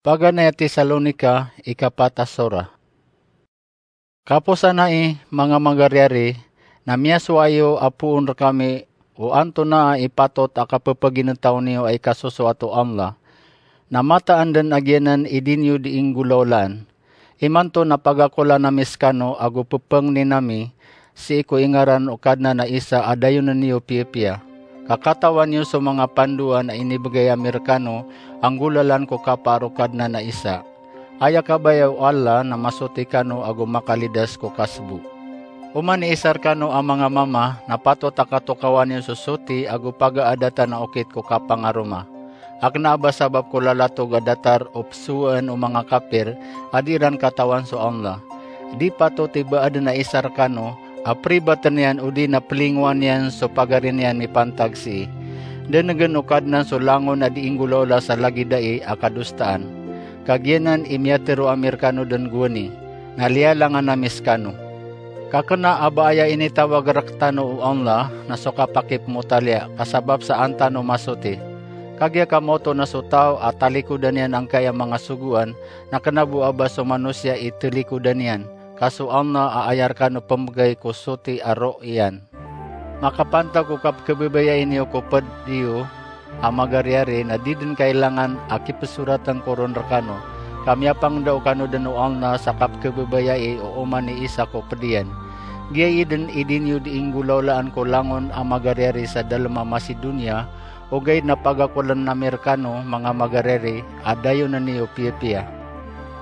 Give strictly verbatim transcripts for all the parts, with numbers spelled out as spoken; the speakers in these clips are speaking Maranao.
Paganay a Tesalonica, ikapat a sora. Kaposan ai, manga magariyari, na miyasowa iyo a poon rekami o antonaa i patot a kapepaginetaw niyo a ikasosoat o Allah. Na mataan den a giyanan i di niyo di inggolawlaan. Imanto na pagakolan ami sekano ago pepengnin ami sii ko ingaran o Kadnan a Isa a dayonen iyo piyapiya. Ka katawan iyo so manga pandoan a inibegay ami rekano a nggolalan ko kapaar o Kadnan a Isa. Aya kabaya o Allah na masoti kano ago makalidas ko kasbo. Oman i isa rekano a manga mama na patot a katokawan iyo so soti ago pagaadatan a okit ko kapangaroma. A kena a ba sabap ko lalatog a datar o pesowaan o manga kapir a di iran katawan so Allah. Di patot i ba aden a isa rekano a peribaten iyan odi na pelingowan iyan so pagari niyan mipantag sii. Denegen o Kadnan so langon a di inggolawla sa lagid ai a kadosaan. Ka giyanan i miyatero ami rekano den gowani, na liyalangan ami sekano. Ka kena a ba aya initawag rektano o Allah na so kapakipmotaliya, ka sabap sa an tano masoti. Kagiya ka maoto na so taw a talikodan iyan angkai a manga sogoan, na kena bo a ba so manosiya i telikodan iyan, ka so Allah a aya rekano pembegay ko soti a roo iyan. Makapantag ko kapkebebayai niyo ko ped iyo a magariyari na di den kailangan a kipesoratan ko ron rekano, ka miyapangndao kano den o Allah sa kapkebebayai o oman i isa ko ped iyan. Giyai den i di niyo di inggolawlaan ko langon a magariyari sa dalem a Macedonia, ogaid na pagakolan ami rekano manga magariyari a dayonen iyo piyapiya.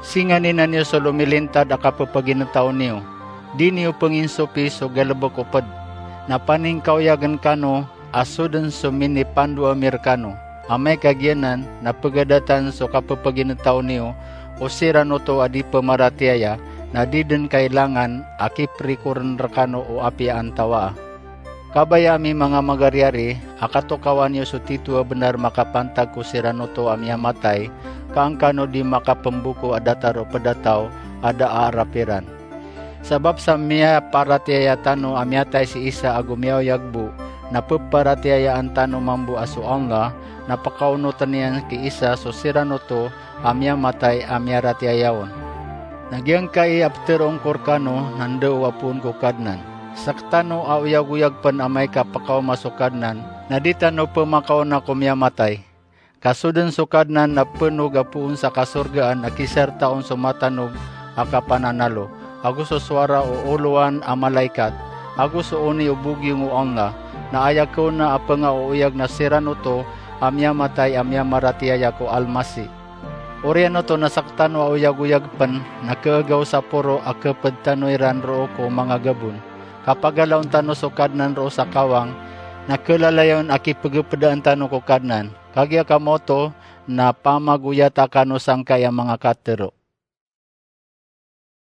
Singaninan iyo so lomilintad a kapepaginetaw niyo. Di niyo penginsopi so galebek o ped. Na paningkaoyagen kano a so den so minipandoa ami rekano. Amay ka giyanan na pegadatan so kapepaginetaw niyo o siran oto a di pemaratiyaya, na di den kailangan a kiperikoren rekano o apiya antawaa. Kabaya ami manga magariyari a katokawan iyo so tito a benar makapantag ko siran oto a miyamatay, ka angkano di makapemboko a datar o ped a taw a da a arap iran. Sabap sa miyaparatiyaya tano a miyatay si isa ago miyaoyag bo, na peparatiyayaan tano mambo a so Allah na pekaonoten iyan ki isa so siran oto a miyamatay a miyaratiyaya on. Na giyangkai a peteroon ko rekano na ndao a poon ko Kadnan. Sektano a oyagoyag pen amay ka pekaoma so Kadnan, na di tano pemakaona ko miyamatay. Ka so den so Kadnan na penog a poon sa kasorgaan a kisarta on so matanog a kapananalo, ago so sowara o olowan a malaikat, ago so oni o bogiyong o Allah, na aya kaona a pengaoyag na siran oto a miyamatay a miyamaratiyaya ko Almasih. Oriyan oto na sektano a oyagoyag pen na keegaw sa poro a keped tano iran roo ko manga gabon. Ka pagalaon tano so Kadnan roo sa kawang, na kelalayon a kipegepedaan tano ko Kadnan. Kagiya ka maoto na pamagoyata kano sangkai a manga katero.